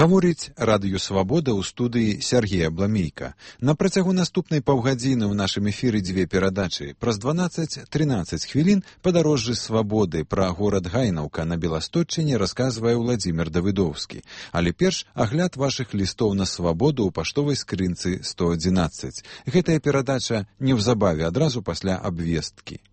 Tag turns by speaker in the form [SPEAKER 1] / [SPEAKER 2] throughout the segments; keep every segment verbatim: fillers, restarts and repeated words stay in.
[SPEAKER 1] Гаворыць радыё «Свабода» ў студыі Сергей Абламейка. На працягу наступнай паўгадзіны ў нашым эфіры дзве перадачы. Праз дванаццаць-трынаццаць хвілін падарожжы свабоды пра горад Гайнаўка на Беластотчыне расказвае Владзімир Давыдоўскі. Але перш агляд вашых лістоў на свабоду ў паштовай скрынцы сто адзінаццаць. Гэтая перадача неўзабаве адразу пасля абвесткі.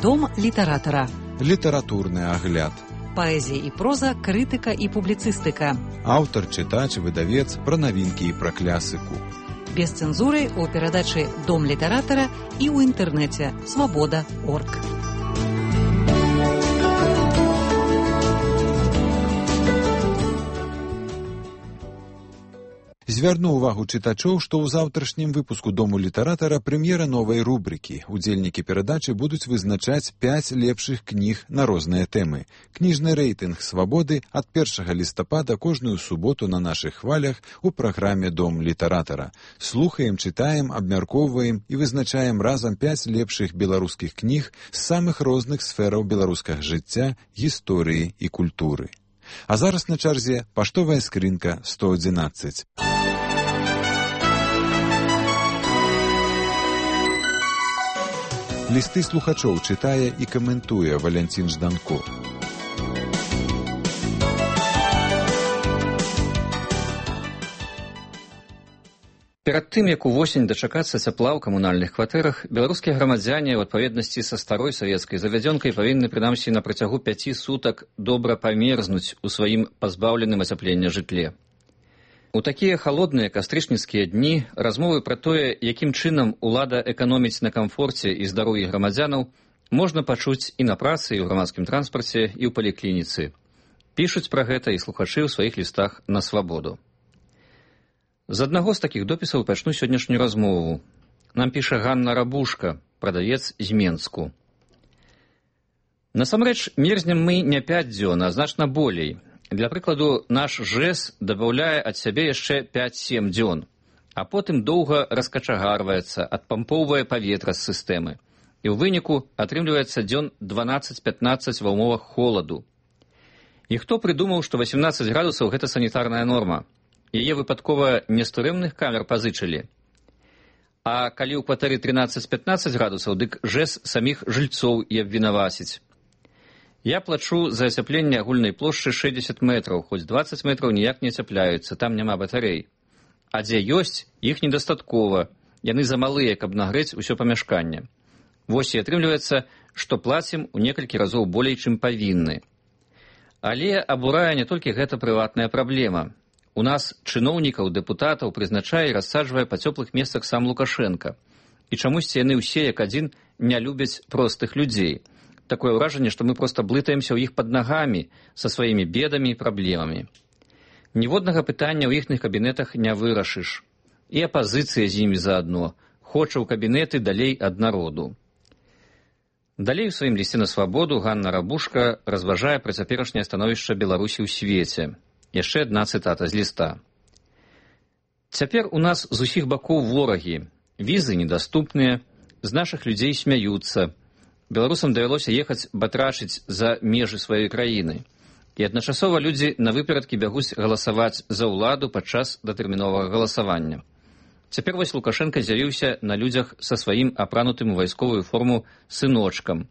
[SPEAKER 2] Дом літаратара.
[SPEAKER 1] Літаратурны агляд.
[SPEAKER 2] Паэзія і проза, крытыка і публіцыстыка.
[SPEAKER 1] Аўтар, чытач, выдавец, пра навінкі і пра клясыку.
[SPEAKER 2] Без цэнзуры ў перадачы «Дом літаратара» і ў інтэрнэце свабода крапка орг.
[SPEAKER 1] Звярну ўвагу чытачоў, што ў заўтрашнім выпуску «Дому літаратара» прэм'ера новай рубрыкі. Удзельнікі перадачы будуць вызначаць пяць лепшых кніг на розныя тэмы. Кніжны рэйтынг «Свабоды» ад першага лістапада кожную суботу на нашых хвалях у праграме «Дом літаратара». Слухаем, чытаем, абмяркоўваем і вызначаем разам пяць лепшых беларускіх кніг з самых розных сфераў беларускага жыцця, гісторыі і культуры. А зараз на чарзе паштовая скрынка сто адзінаццаць. Лісты слухачоў чытае і каментуе Валянцін Жданко.
[SPEAKER 3] Перад тым, як увосень дачакацца цяпла ў камунальных кватэрах, беларускія грамадзяне ў адпаведнасці са старой савецкай завядзёнкай павінны прынамсі на працягу пяці сутак добра памерзнуць у сваім пазбаўленым ацяплення жытле. У такія халодныя кастрычніцкія дні размовы пра тое, якім чынам улада эканоміць на камфорце і здароўі грамадзянаў, можна пачуць і на працы, і ў грамадскім транспарце, і ў паліклініцы. Пішуць пра гэта і слухачы ў сваіх лістах на свабоду. З аднаго з такіх допісаў пачну сённяшнюю размову. Нам піша Ганна Рабушка, прадавец з Менску. Насамрэч, мерзнем мы не пяць дзён, а значна болей. Для прыкладу, наш ЖЭС дабаўляе ад сябе яшчэ пяць-сем дзён, а потым доўга раскачагарваецца, адпампоўвае паветра з сістэмы. І ў выніку атрымліваецца дзён дванаццаць-пятнаццаць ва ўмовах холаду. І хто прыдумаў, што васемнаццаць градусаў гэта санітарная норма? Яе выпадкова не з турэмных камер пазычылі. А калі ў кватэры трынаццаць-пятнаццаць градусаў, дык ЖЭС саміх жыльцоў і абвінаваціць. Я плачу за ацяпленне агульнай плошчы шэсцьдзесят метраў, хоць дваццаць метраў ніяк не ацяпляюцца, там няма батарэй. А дзе ёсць, іх недастаткова, яны замалыя, каб нагрэць усё памяшканне. Вось і атрымліваецца, што плацім у некалькі разоў болей, чым павінны. Але абурае не толькі гэта прыватная праблема. У нас чыноўнікаў, дэпутатаў прызначае і рассаджвае па цёплых месцах сам Лукашенка. І чамусьці яны ўсе, як адзін, не любяць простых людзей. Такое ўражанне, што мы проста блытаемся ў іх пад нагамі са сваімі бедамі і праблемамі. Ніводнага пытання ў іхных кабінетах не вырашыш. І апазіцыя з імі заадно. Хоча ў кабінеты далей ад народу. Далей у сваім лісце на свабоду Ганна Рабушка разважае пра цяперашняе становішча Беларусі ў свеце. Яшчэ адна цытата з ліста. Цяпер у нас з усіх бакоў ворагі. Візы недаступныя, з нашых людзей смяюцца. Беларусам давялося ехаць батрачыць за межы сваёй краіны. І адначасова людзі на выперадкі бягуць галасаваць за ўладу падчас датэрміновага галасавання. Цяпер вось Лукашенка з'явіўся на людзях са сваім апранутым у вайсковую форму сыночкам.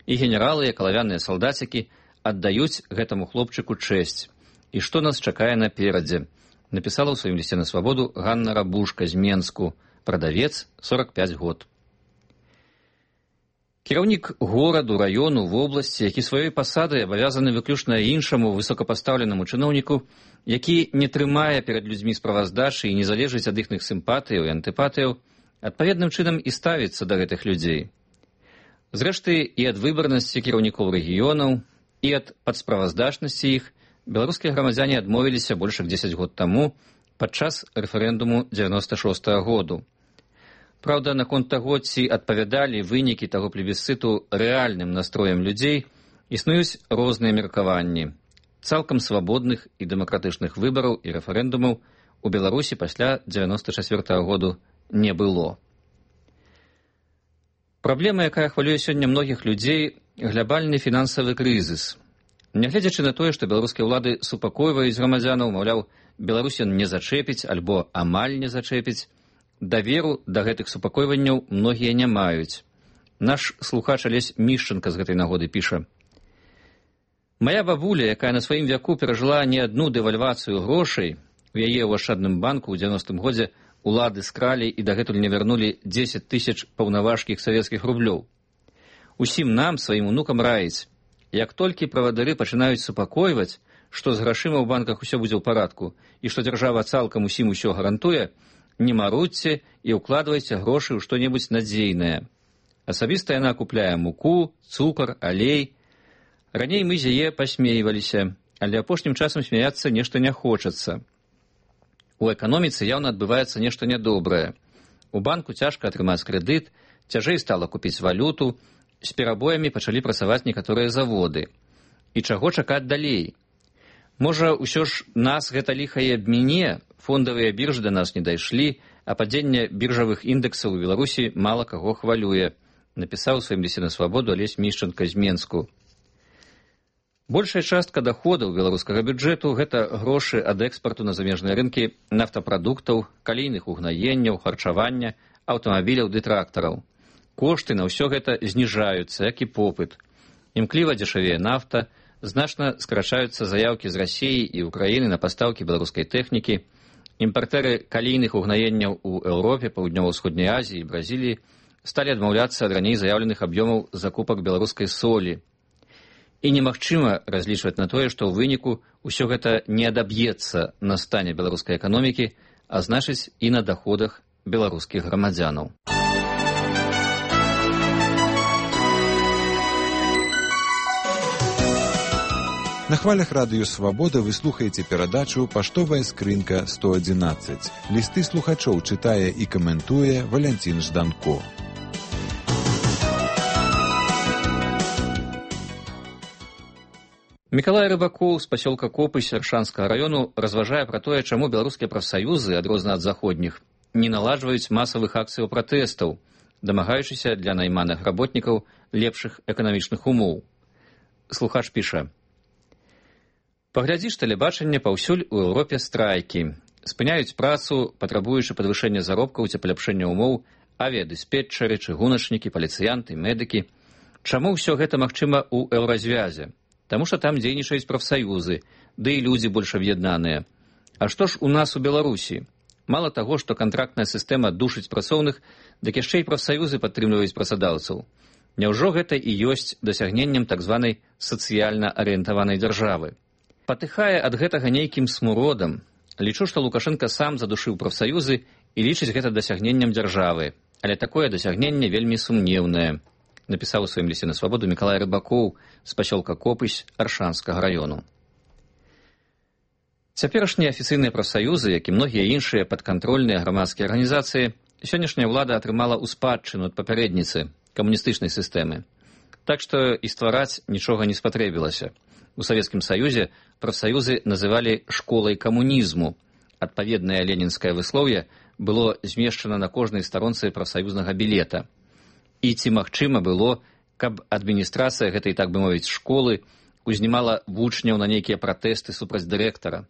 [SPEAKER 3] І генералы, і калавяныя салдацікі аддаюць гэтаму хлопчыку чэсць. І што нас чакае наперадзе? Напісала ў сваім лісце на свабоду Ганна Рабушка з Менску, прадавец, сорак пяць год. Кіраўнік гораду, раёну, вобласці, які сваёй пасадай абавязаны выключна іншаму высокапастаўленаму чыноўніку, які не трымае перад людзьмі справаздачы і не залежыць ад іхных сімпатыяў і антыпатыяў, адпаведным чынам і ставіцца да гэтых людзей. Зрэшты, і ад выбарнасці кіраўнікоў рэгіёнаў, і ад падсправаздачнасці іх беларускія грамадзяне адмовіліся больш як дзесяць год таму падчас рэферэндуму дзевяноста шостага году. Праўда, наконт таго, ці адпавядалі вынікі таго плебісцыту рэальным настроем людзей, існуюць розныя меркаванні. Цалкам свабодных і дэмакратычных выбараў і рэферэндумаў у Беларусі пасля дзевяноста чацвёртага году не было. Праблема, якая хвалюе сёння многіх людзей, глобальны фінансавы крызіс. Нягледзячы на тое, што беларускія ўлады супакойваюць грамадзянаў, маўляў, Беларусь не зачэпіць альбо амаль не зачэпіць, даверу да гэтых супакойванняў многія не маюць. Наш слухач Алесь Мішчанка з гэтай нагоды піша: «Мая бабуля, якая на сваім вяку перажыла не адну дэвальвацыю грошай, у яе ў ашчадным банку ў дзевяностым годзе улады скралі і дагэтуль не вярнулі дзесяць тысяч паўнаважкіх савецкіх рублёў. Усім нам, сваім унукам раіць, як толькі правадыры пачынаюць супакойваць, што з грашыма ў банках усё будзе ў парадку і што дзяржава цалкам усім усё гарантуе, не марудзьце і ўкладвайце грошы ў што-небудзь надзейнае. Асабіста яна купляе муку, цукар, алей. Раней мы з яе пасмейваліся, але апошнім часам смяяцца нешта не хочацца. У эканоміцы яўна адбываецца нешта нядобрае. У банку цяжка атрымаць крэдыт, цяжэй стала купіць валюту, з перабоямі пачалі працаваць некаторыя заводы. І чаго чакаць далей? Можа, усё ж нас гэта ліха і абміне, фондавыя біржы да нас не дайшлі, а падзенне біржавых індэксаў у Беларусі мала каго хвалюе, напісаў у сваім лісце на свабоду Алесь Мішчанка з Менску. Большая частка даходаў беларускага бюджэту – гэта грошы ад экспарту на замежныя рынкі нафтапрадуктаў, калійных угнаенняў, харчавання, аўтамабіляў ды трактараў. Кошты на ўсё гэта зніжаюцца, як і попыт. Імкліва дзешавее нафта, значна скрачаюцца заяўкі з Расіі і Украіны на пастаўкі беларускай тэхнікі. Імпартэры калійных угнаенняў у Еўропе, Паўднёва-ўсходняй Азіі і Бразіліі сталі адмаўляцца ад раней заяўленых аб'ёмаў закупак беларускай солі. І немагчыма разлічваць на тое, што ў выніку ўсё гэта не адаб'ецца на стане беларускай эканомікі, а значыць і на даходах беларускіх грамадзянаў.
[SPEAKER 1] На хвалях радыё «Свабода» вы слухаеце перадачу «Паштовая скрынка сто адзінаццаць». Лісты слухачоў чытае і каментуе Валянцін Жданко.
[SPEAKER 3] Мікалай Рыбакоў з пасёлка Копысь Аршанскага раёну разважае пра тое, чаму беларускія прафсаюзы, адрозна ад заходніх, не наладжваюць масавых акцыяў пратэстаў, дамагаючыся для найманых работнікаў лепшых эканамічных умоў. Слухач піша: «Паглядзіш тэлебачанне, паўсюль у Еўропе страйкі. Спыняюць працу, патрабуючы падвышэння заробкаў ці паляпшэння умоў, авіядыспетчары, чыгуначнікі, паліцыянты, медыкі. Чаму ўсё гэта магчыма ў еўразвязе? Таму што там дзейнічаюць прафсаюзы, ды і людзі больш аб'яднаныя. А што ж у нас у Беларусі? Мала таго, што кантрактная сістэма душыць працоўных, дык яшчэ і прафсаюзы падтрымліваюць працадаўцаў. Няўжо гэта і ёсць дасягненнем так званай сацыяльна арыентаванай дзяржавы? Патыхае ад гэтага нейкім смуродам. Лічу, што Лукашенка сам задушыў прафсаюзы і лічыць гэта дасягненнем дзяржавы. Але такое дасягненне вельмі сумнеўнае», напісаў у сваім лісце на свабоду Мікалай Рыбакоў з пасёлка Копысь Аршанскага раёну. Цяперашнія афіцыйныя прафсаюзы, як і многія іншыя падкантрольныя грамадскія арганізацыі, сённяшняя ўлада атрымала ў спадчыну ад папярэдніцы камуністычнай сістэмы. Так што і ствараць нічога не спатрэбілася. У Савецкім Саюзе прафсаюзы называлі школай камунізму. Адпаведнае ленінскае выслоўе было змешчана на кожнай старонцы прафсаюзнага білета. І ці магчыма было, каб адміністрацыя гэтай, так бы мовіць, школы узнімала вучняў на нейкія пратэсты супраць дырэктара.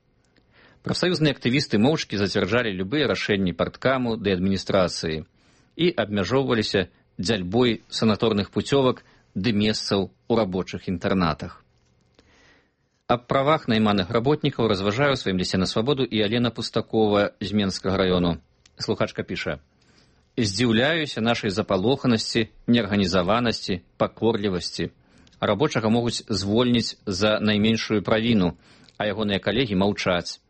[SPEAKER 3] Прафсаюзныя актывісты моўчкі зацвярджалі любыя рашэнні парткаму ды адміністрацыі і абмяжоўваліся дзяльбой санаторных пуцёвак ды месцаў у рабочых інтэрнатах. Аб правах найманых работнікаў разважае ў сваім лісце на свабоду і Алена Пустакова з Менскага раёну. Слухачка піша: «Здзіўляюся нашай запалоханасці, неарганізаванасці, пакорлівасці. Рабочага могуць звольніць за найменшую правіну, а ягоныя калегі маўчаць.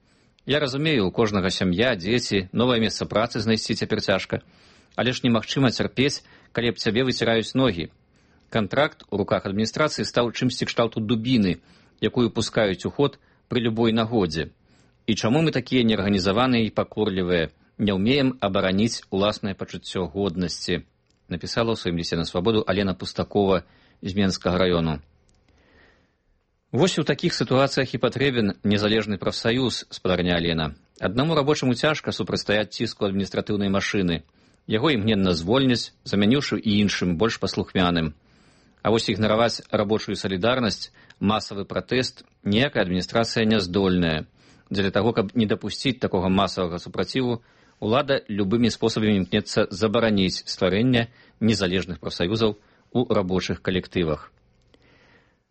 [SPEAKER 3] Я разумею, у кожнага сям'я, дзеці, новае месца працы знайсці цяпер цяжка, але ж немагчыма цярпець, калі аб цябе выціраюць ногі. Кантракт у руках адміністрацыі стаў чымсьці кшталту дубіны, якую пускаюць у ход пры любой нагодзе. І чаму мы такія неарганізаваныя і пакорлівыя, не ўмеем абараніць уласнае пачуццё годнасці», напісала ў сваім лісце на свабоду Алена Пустакова з Менскага раёну. Вось у такіх сітуацыях і патрэбен незалежны прафсаюз, спадарня Алена. Аднаму рабочаму цяжка супрацьстаяць ціску адміністратыўнай машыны. Яго імгненна звольняць, замяніўшы і іншым, больш паслухмяным. А вось ігнараваць рабочую салідарнасць, масавы пратэст ніякая адміністрацыя не здольная. Дзеля таго, каб не дапусціць такога масавага супраціву, улада любымі спосабамі імкнецца забараніць стварэнне незалежных прафсаюзаў у рабочых калектывах.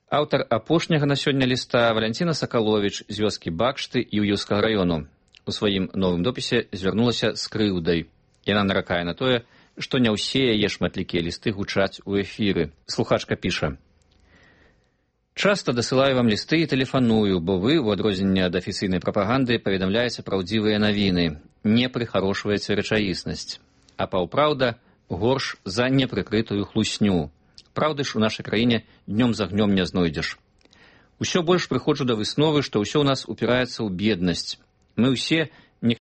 [SPEAKER 3] Аўтар апошняга на сёння ліста Валянціна Сакаловіч з вёскі Бакшты Іўеўскага раёну у сваім новым допісе звярнулася з крыўдай. Яна наракае на тое, што не ўсе яе шматлікія лісты гучаць у эфіры. Слухачка піша: «Часта дасылаю вам лісты і тэлефаную, бо вы, у адрозненне ад афіцыйнай прапаганды, паведамляеце праўдзівыя навіны, не прыхарошваеце рэчаіснасць. А паўпраўда горш за непрыкрытую хлусню. Праўды ж у нашай краіне днём за гнём не знойдзеш. Усё больш прыходжу да высновы, што ўсё ў нас упіраецца ў беднасць. Мы ўсе